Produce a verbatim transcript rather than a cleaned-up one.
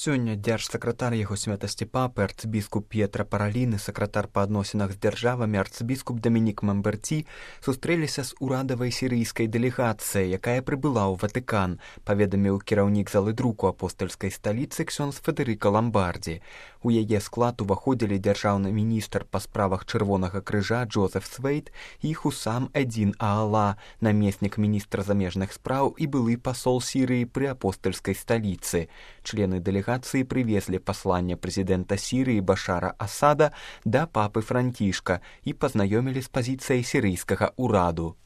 Сёння дзяржсакратар яго святасці папы арцыбіскуп П'етра Паралін і сакратар па адносінах з дзяржавамі арцыбіскуп Дамінік Мамберці сустрэліся з урадавай сірыйскай дэлегацыяй, якая прыбыла ў Ватыкан, паведаміў кіраўнік залы друку апостальскай сталіцы ксёндз Федэрыка Ламбардзі. У яе склад уваходзілі дзяржаўны міністр па справах Чырвонага крыжа Джозеф Свейт і Хусам Эдзін Аала, намеснік міністра замежных спраў і былы пасол Сірыі пры апостальскай сталіцы. Члены дэлегацыі прывезлі пасланне прэзідэнта Сірыі Башара Асада да папы Францішка і пазнаёмілі з пазіцыяй сірыйскага ўраду.